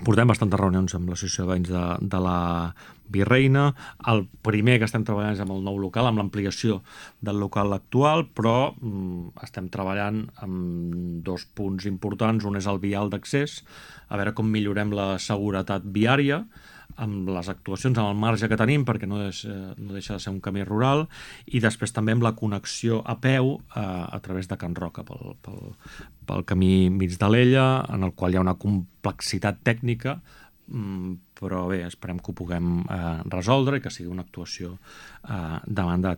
Portem bastantes reunions amb l'associació de veïns de la Virreina. El primer que estem treballant és amb el nou local, amb l'ampliació del local actual, però estem treballant amb 2 punts importants. Un és el vial d'accés, a veure com millorem la seguretat viària amb les actuacions, amb el marge que tenim, perquè no deixa de ser un camí rural, i després també amb la connexió a peu a través de Can Roca pel camí mig de l'Ella, en el qual hi ha una complexitat tècnica, però bé, esperem que ho puguem resoldre i que sigui una actuació de mandat.